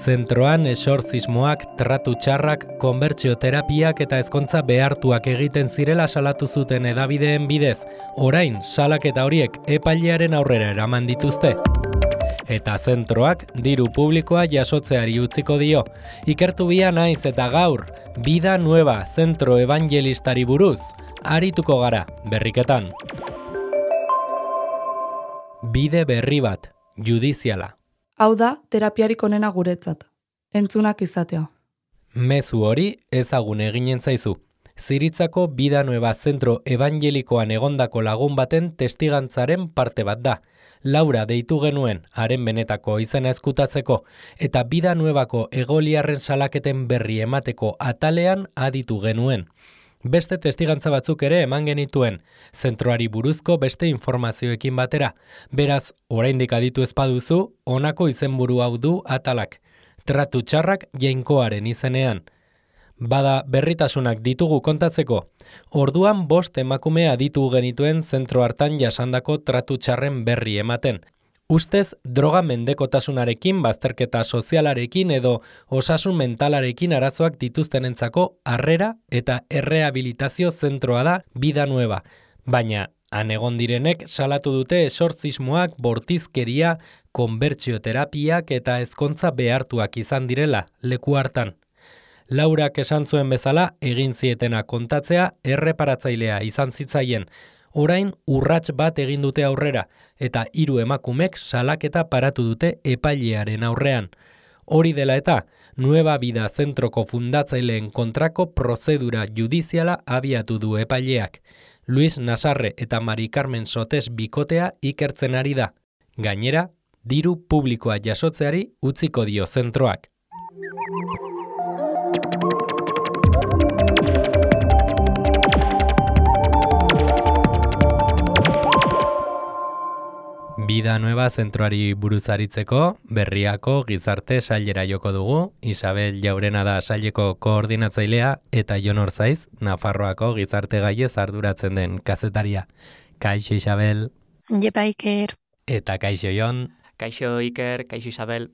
Zentroan esortzismoak, tratu txarrak, konbertsioterapiak eta ezkontza behartuak egiten zirela salatu zuten hedabideen bidez. Orain, salaketa horiek epailearen aurrera eraman dituzte. Eta zentroak diru publikoa jasotzeari utziko dio. Ikertu bia naiz eta gaur, Vida Nueva zentro evangelistari buruz, arituko gara, berriketan. Bide berri bat, judiziala. Hau da, terapiarik onena guretzat. Entzunak izatea. Mezu hori ezagun eginen zaizu. Ziritzako Vida Nueva zentro evangelikoan egondako lagun baten testigantzaren parte bat da. Laura deitu genuen, haren benetako izena ezkutatzeko, eta Vida Nuevako egoliarren salaketen berri emateko atalean aditu genuen. Beste testigantza batzuk ere eman genituen, zentroari buruzko beste informazioekin batera. Beraz, oraindik aditu ez baduzu, honako izenburu hau du atalak. Tratu txarrak jainkoaren izenean. Bada berritasunak ditugu kontatzeko. Orduan 5 emakume aditu genituen zentro hartan jasandako tratu txarren berri ematen. Ustez, droga mendekotasunarekin, bazterketa sozialarekin edo osasun mentalarekin arazoak dituztenentzako harrera eta errehabilitazio zentroa da Vida Nueva. Baina, han egon direnek salatu dute esortzismoak, bortizkeria, konbertsioterapiak eta ezkontza behartuak izan direla leku hartan. Laurak esan zuen bezala, egin zietena kontatzea erreparatzailea izan zitzaien. Orain urrats bat egin dute aurrera, eta 3 emakumek salaketa paratu dute epailearen aurrean. Hori dela eta, Nueva Vida zentroko fundatzaileen kontrako prozedura judiziala abiatu du epaileak. Luis Nasarre eta Mari Carmen Sotes bikotea ikertzen ari da. Gainera, diru publikoa jasotzeari utziko dio zentroak. Vida Nueva zentroari buruz aritzeko, Berriako gizarte sailera joko dugu, Isabel Jaurena da saileko koordinatzailea eta Jon Orzaiz, Nafarroako gizarte gaiez arduratzen den kazetaria. Kaixo Isabel. Jepa Iker. Eta kaixo Jon. Kaixo Iker, kaixo Isabel.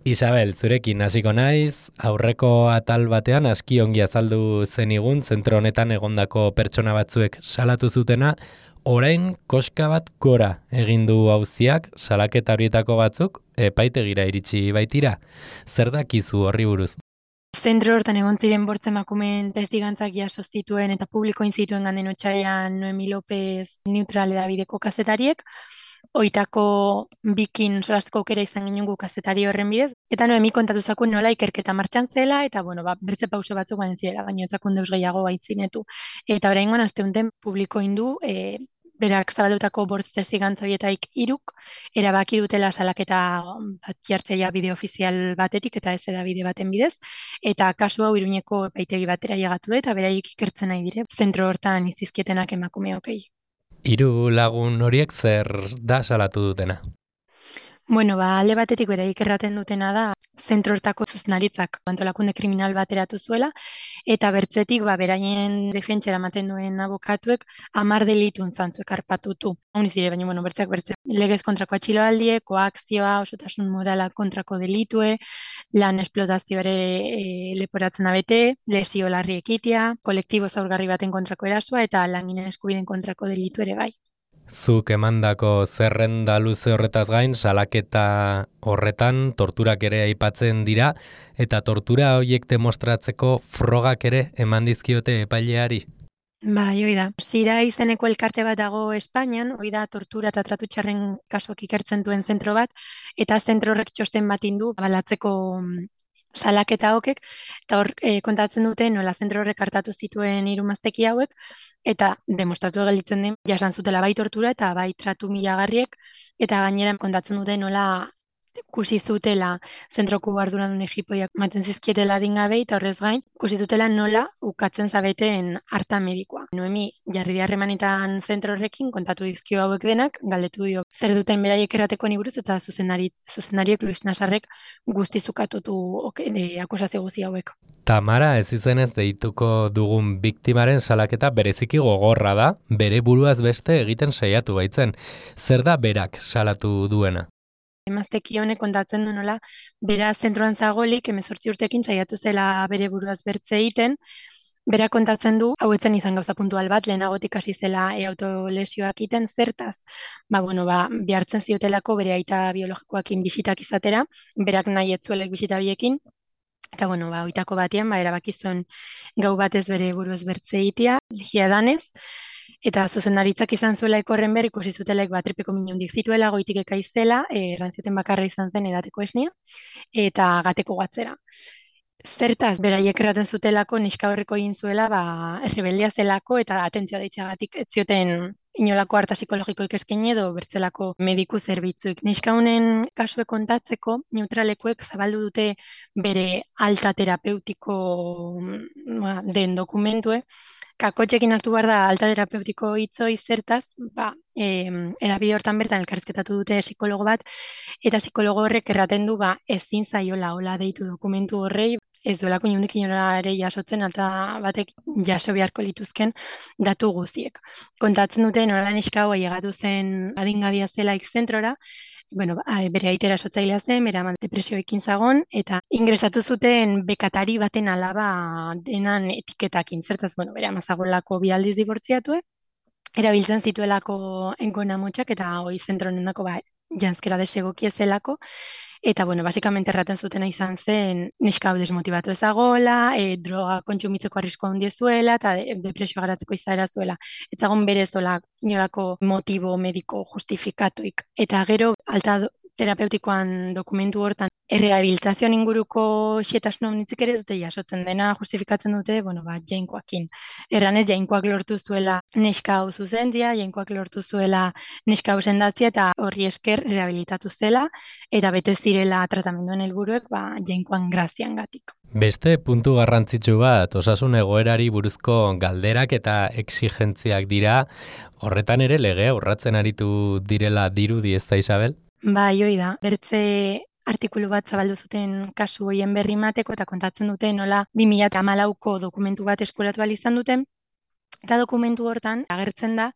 Isabel, zurekin hasiko naiz, aurreko atal batean aski ongi azaldu zenigun zentro honetan egondako pertsona batzuek salatu zutena, orain koska bat gora egin du auziak, salaketa horietako batzuk epaitegira iritsi baitira. Zer dakizu horri buruz? Zentro hortan egon ziren 5 emakumeen testigantzak jaso zituen eta publikoin zituen ganden otsailean Noemi López Neutral edabideko kazetariek. Oitako bikin solasteko aukera izan ginen gu kazetari horren bidez. Eta Noemi kontatu zakuen nola ikerketa martxan zela, eta bertze pauso batzuk baina zirela, baina etzakun deus gehiago baitzinetu. Eta oraingoan asteunten publikoin du, berak zabaldutako 5 testigantza horietaik 3 erabaki dutela salaketa bat jartzea bide ofizial batetik eta ez edabide baten bidez, eta kasu hau Iruñeko epaitegi batera llegatu da eta beraiek ikertzen nahi dire zentro hortan izizkietenak emakumeokei. 3 lagun horiek zer da salatu dutena? Bueno, alde batetik beraiek erraten dutena da, zentro hortako zuzendaritzak antolakunde kriminal bat eratu zuela, eta bertzetik beraien defentsera ematen duen abokatuek 10 delitun zantzuek arpatutu. Honiz dire, baina bertze legez kontrako atxiloaldiek, koakzioa, osotasun morala kontrako delitue, lan esplotazioare leporatzen abete, lesio larri ekitea, kolektibo zaurgarri baten kontrako erasoa eta langinen eskubideen kontrako delitu ere bai. Zuk emandako zerrenda luze horretaz gain, salaketa horretan torturak ere aipatzen dira, eta tortura horiek demostratzeko frogak ere eman dizkiote epaileari. Bai, hoi da. Zira izeneko elkarte bat dago Espainian, hoi da tortura eta tratu txarren kasuak ikertzen duen zentro bat, eta zentro horrek txosten bat indu balatzeko salaketa hokek, eta hor kontatzen dute nola zentro horrek hartatu zituen 3 mazteki hauek, eta demostratu gelditzen den jasan zutela bai tortura eta bai tratu milagarriek, eta gainera kontatzen dute nola ikusi zutela zentroko arduradun egipoiak ematen zizkietela adingabei, eta horrez gain, ikusi zutela nola ukatzen zabeten harta medikoa. Noemi jarri harremanetan zentro horrekin kontatu dizkio hauek denak, galdetu dio zer duten beraiek errateko buruz eta zuzendariek Luis Nasarrek guzti zukatutu akusazio guzti hauek. Tamara ez izenez deituko dugun biktimaren salaketa bereziki gogorra da, bere buruaz beste egiten saiatu baitzen. Zer da berak salatu duena? Emazteki honek kontatzen du nola, bera zentroan zagolik, 18 urtekin saiatu zela bere buruaz bertze egiten, bera kontatzen du, hau etzen izan gauza puntual bat, lehenagotik hasi zela autolesioak egiten, zertaz, behartzen ziotelako bere aita biologikoakin bisitak izatera, berak nahi etzuelek bisita biekin, eta oitako batean, erabaki zuen gau batez bere buruaz bertze egitea, ligia danez, eta zuzendaritzak izan zuela ekorren behar, ikusi zutelaik tripeko minundik zituela, goitik ekaizela, errantzioten bakarra izan zen edateko esnia, eta gateko gatzera. Zertaz, beraiek erraten zutelako neska horreko egin zuela, errebeldia zelako eta atentzioa deitxagatik ez zioten inolako harta psikologikoik eskaini edo bertzelako mediku zerbitzuik. Neska honen kasue kontatzeko, neutralekuek zabaldu dute bere alta terapeutiko den dokumentue, kakotxekin hartu behar da alta terapeutiko hitzoi zertaz, edabide hortan bertan elkarrizketatu dute psikologo bat, eta psikologo horrek erraten du ezin zaiola hola deitu dokumentu horrei, ez duelako inundik inorare jasotzen alta batek jaso beharko lituzken datu guztiek. Kontatzen dute nola neska hau ailegatu zen adingabia zelaik zentrora, bere aitera sotzailea zen, bere ama depresioekin zagon, eta ingresatu zuten bekatari baten alaba denan etiketakin. Zertaz, bere ama zagolako bi aldiz dibortziatu, erabiltzen zituelako engonamotxak, eta hoi zentronendako janzkera desegokia zelako, eta basikamente erraten zutena izan zen neska hau desmotibatu ezagola, droga kontsumitzeko arrisko handia zuela, eta depresio garatzeko izaera zuela. Ez zagon berezola inolako motibo mediko justifikatuik. Eta gero, alta terapeutikoan dokumentu hortan, errehabilitazioan inguruko xetasun omnitzik ere dute jasotzen dena, justifikatzen dute, jainkoakin. Erranez, jainkoak lortu zuela neska hau zuzentzia, jainkoak lortu zuela neska hau sendatzia, eta horri esker rehabilitatu zela, eta bete zirela tratamenduen helburuek jainkoan graziangatik. Beste puntu garrantzitsu bat, osasun egoerari buruzko galderak eta exigentziak dira, horretan ere legea urratzen aritu direla dirudi, ez da, Isabel? Hoi da, bertze artikulu bat zabaldu zuten kasu hoien berri mateko eta kontatzen dute nola 2014ko dokumentu bat eskuratu ahal izan duten, eta dokumentu hortan agertzen da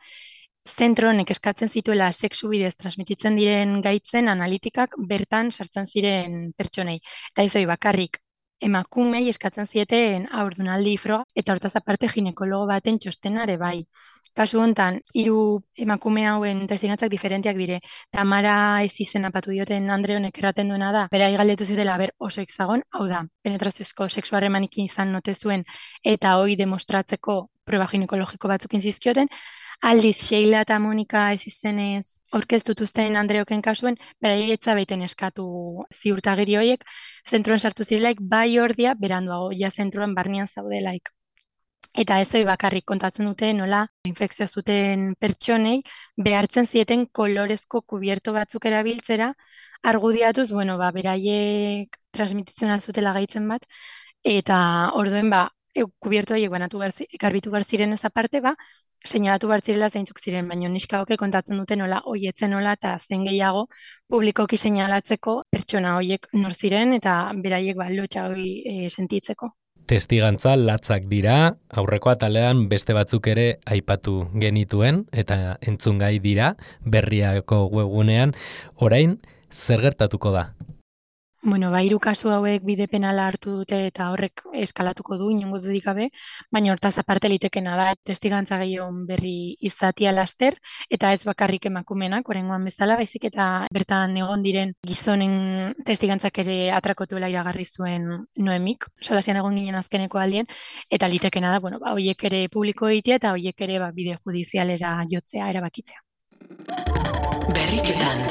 zentro honek eskatzen zituela sexu bidez transmititzen diren gaitzen analitikak bertan sartzen ziren pertsonei. Eta izoi bakarrik emakumei eskatzen zieten haurdunaldi froga eta hortaz aparte ginekologo baten txostenare bai. Kasu hontan, 3 emakume hauen testigantzak diferenteak dire. Tamara ez izena patu dioten Andre honek erraten duena da, berai galdetu zutela oso zagon, hau da, penetraziozko sexu harremanik izan note zuen eta hoi demostratzeko proba ginekologiko batzukin zizkioten, aldiz Sheila eta Monika ez izenez aurkeztutuzten Andreoken kasuen, berai etzabeiten eskatu ziurtagiri horiek, zentroan sartu zirelaik bai ordia beranduago, ja zentroan barnean zaudelaik. Eta ez hori bakarrik kontatzen dute nola infekzioa zuten pertsonei behartzen zieten kolorezko kubierto batzuk erabiltzera, argudiatuz, beraiek transmititzen alzutela gaitzen bat, eta orduen kubierto horiek garbitu behar ziren ez aparte, seinalatu behar zirela zeintzuk ziren, baina neskaoke kontatzen dute nola hoietzen nola eta zen gehiago publikoki seinalatzeko pertsona horiek nor ziren eta beraiek lotxa hori sentitzeko. Testigantza latzak dira, aurreko atalean beste batzuk ere aipatu genituen eta entzungai dira berriako webgunean. Orain, zer gertatuko da? 3 kasu hauek bide penala hartu dute eta horrek eskalatuko du, inongo dudik gabe, baina hortaz aparte litekena da testigantza gehiago berri izatia laster, eta ez bakarrik emakumenak, oraingoan bezala, baizik eta bertan egon diren gizonen testigantzak ere atrakotuela iragarri zuen Noemik, solasian egon ginen azkeneko aldien, eta litekena da, horiek ere publiko egitea eta horiek ere bide judizialera jotzea erabakitzea. Berriketan.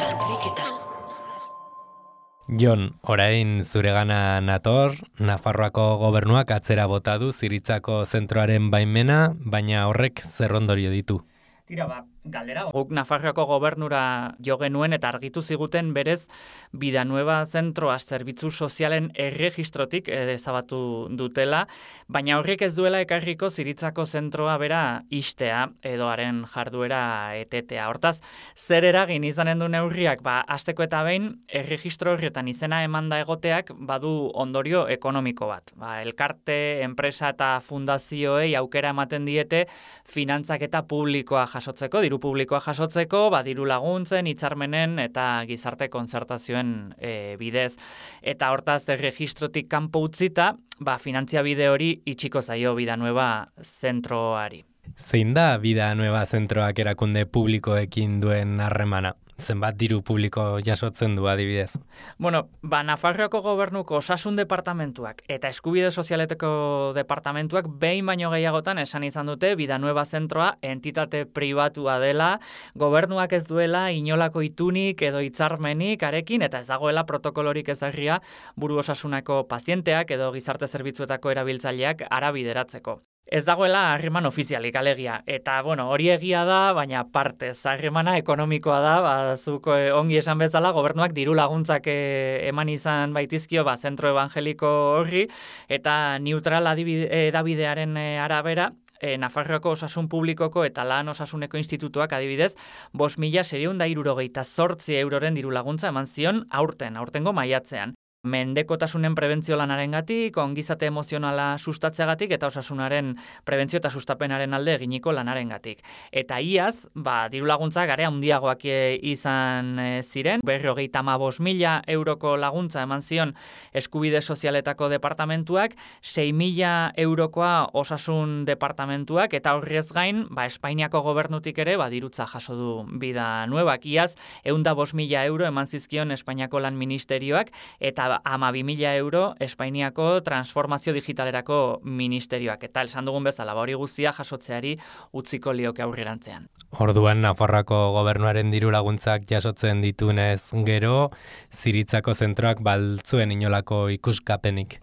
Jon, orain zuregana nator, Nafarroako gobernuak atzera bota du Ziritzako zentroaren baimena, baina horrek zer ondorio ditu. Tira, galdera. Guk Nafarroako gobernura jo genuen eta argitu ziguten berez Bidanueva zentroa zerbitzu sozialen erregistrotik ezabatu dutela, baina horrek ez duela ekarriko Ziritzako zentroa bera istea edo haren jarduera etetea. Hortaz, zer eragin izanen du neurriak, hasteko eta behin erregistro horretan izena emanda egoteak badu ondorio ekonomiko bat. Elkarte, enpresa eta fundazioei aukera ematen diete finantzaketa publikoa jasotzeko, diru diru publikoa jasotzeko, diru laguntzen, hitzarmenen eta gizarte kontzertazioen bidez. Eta hortaz erregistrotik kanpo utzita, finantzia bide hori itxiko zaio Bidanueva zentroari. Zein da Bidanueva zentroak erakunde publikoekin duen harremana? Zenbat diru publiko jasotzen du adibidez? Nafarroako gobernuko osasun departamentuak eta eskubide sozialeteko departamentuak behin baino gehiagotan esan izan dute Bidanueva zentroa entitate pribatua dela, gobernuak ez duela inolako itunik edo hitzarmenik arekin eta ez dagoela protokolorik ezarria buru osasunako pazienteak edo gizarte zerbitzuetako erabiltzaileak arabideratzeko. Ez dagoela harreman ofizialik alegia, eta hori egia da, baina partez harremana ekonomikoa da, zuk ongi esan bezala, gobernuak diru laguntzak eman izan baitizkio zentro evangeliko horri, eta neutral edabidearen arabera, Nafarroako osasun publikoko eta lan osasuneko institutuak adibidez, 5.678 euroren diru laguntza eman zion aurtengo maiatzean. Mendekotasunen prebentzio lanarengatik, ongizate emozionala sustatzeagatik eta osasunaren prebentzio eta sustapenaren alde eginiko lanarengatik. Eta iaz, diru laguntza garea handiagoak izan ziren, 55.000 euroko laguntza eman zion eskubide sozialetako departamentuak, 6.000 eurokoa osasun departamentuak, eta horrez gain, Espainiako gobernutik ere, dirutza jaso du Bidanuevak. Iaz, 105.000 euro eman zizkion Espainiako lan ministerioak, eta 12.000 euro Espainiako transformazio digitalerako ministerioak. Eta esan dugun bezala, hori guztia jasotzeari utziko lioke aurrerantzean. Orduan, Nafarroako gobernuaren diru laguntzak jasotzen ditunez gero, Ziritzako zentroak baltzuen inolako ikuskapenik.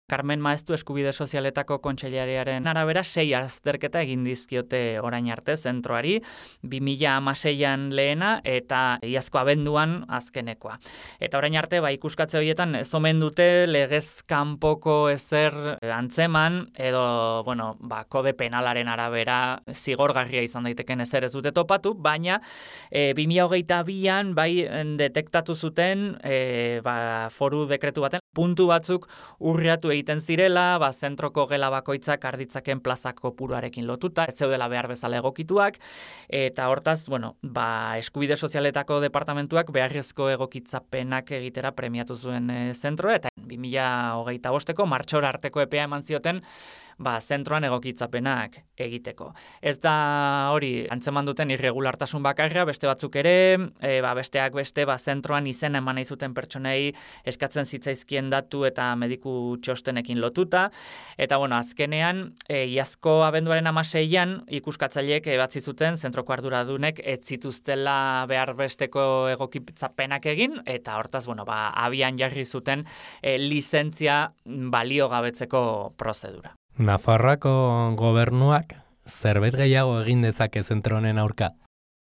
Carmen Maeztu eskubide sozialetako kontseilariaren arabera 6 azterketa egin dizkiote orain arte zentroari, 2016an lehena eta iazko abenduan azkenekoa. Eta orain arte ikuskatze horietan ez omen dute legez kanpoko ezer antzeman edo kode penalaren arabera zigorgarria izan daiteken ezer ez dute topatu, baina 2022an detektatu zuten foru dekretu baten puntu batzuk urriatu egiten zirela, zentroko gela bakoitzak arditzaken plaza kopuruarekin lotuta, ez zeudela behar bezala egokituak, eta hortaz, eskubide sozialetako departamentuak beharrezko egokitzapenak egitera premiatu zuen zentroa, eta 2025ko martxora arteko epea eman zioten zentroan egokitzapenak egiteko. Ez da hori antzeman duten irregulartasun bakarra, beste batzuk ere, besteak beste zentroan izen eman nahi zuten pertsonei eskatzen zitzaizkien datu eta mediku txostenekin lotuta, eta azkenean, iazko abenduaren 16an ikuskatzaileek batzi zuten zentroko arduradunek ez zituztela behar besteko egokitzapenak egin, eta hortaz, abian jarri zuten lizentzia baliogabetzeko prozedura. Nafarroako gobernuak zerbait gehiago egin dezake zentro honen aurka?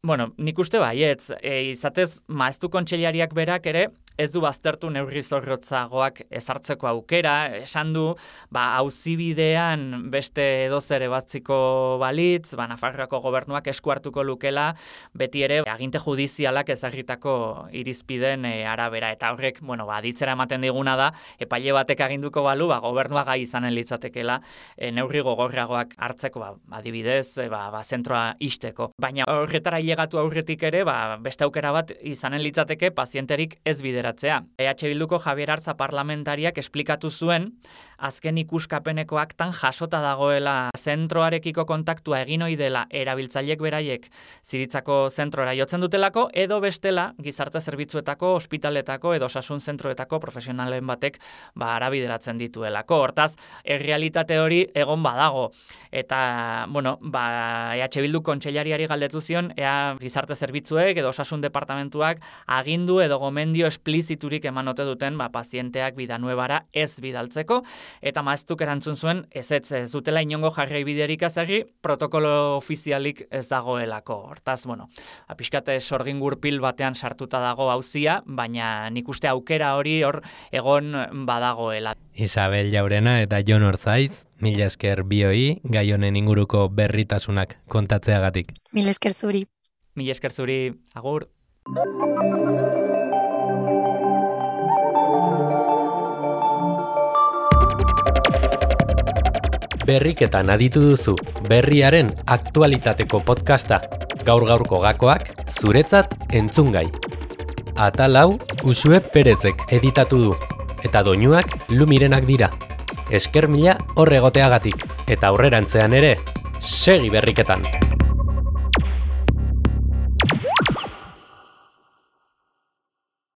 Nik uste baietz, izatez Maeztu kontseilariak berak ere ez du baztertu neurri zorrotzagoak ezartzeko aukera, esan du, auzibidean beste edozer ebatziko balitz, Nafarroako gobernuak esku hartuko lukela, beti ere aginte judizialak ezarritako irizpideen arabera, eta horrek, aditzera ematen diguna da, epaile batek aginduko balu, gobernua gai izanen litzatekela, neurri gogorragoak hartzeko, adibidez, zentroa ixteko. Baina horretara hilegatu aurretik ere, beste aukera bat izanen litzateke pazienterik ez bideratzea. Bilduko Javier Artza parlamentariak esplikatu zuen, azken ikuskapeneko aktan jasota dagoela zentroarekiko kontaktua egin ohi dela erabiltzaileek beraiek Ziritzako zentrora jotzen dutelako, edo bestela gizarte zerbitzuetako, ospitaletako edo osasun zentroetako profesionalen batek arabideratzen dituelako. Hortaz, errealitate hori egon badago. Eta, Bildu kontseilariari galdetu zion, ea gizarte zerbitzuek edo osasun departamentuak agindu edo gomendio espliziturik eman ote duten pazienteak Bidanuevara ez bidaltzeko, eta Maeztuk erantzun zuen ez dutela inongo jarraibiderik ezarri, protokolo ofizialik ez dagoelako. Hortaz, pixkate sorgin gurpil batean sartuta dago auzia, baina nik uste aukera hori hor egon badagoela. Isabel Jaurena eta Jon Orzaiz, mila esker bioi, gai honen inguruko berritasunak kontatzeagatik. Mila esker zuri. Mila esker zuri, agur. Berriketan aditu duzu, berriaren aktualitateko podcasta. Gaur-gaurko gakoak zuretzat entzungai. Atal hau Uxue Perezek editatu du, eta doinuak Lumirenak dira. Esker mila hor egoteagatik, eta aurrerantzean ere, segi berriketan!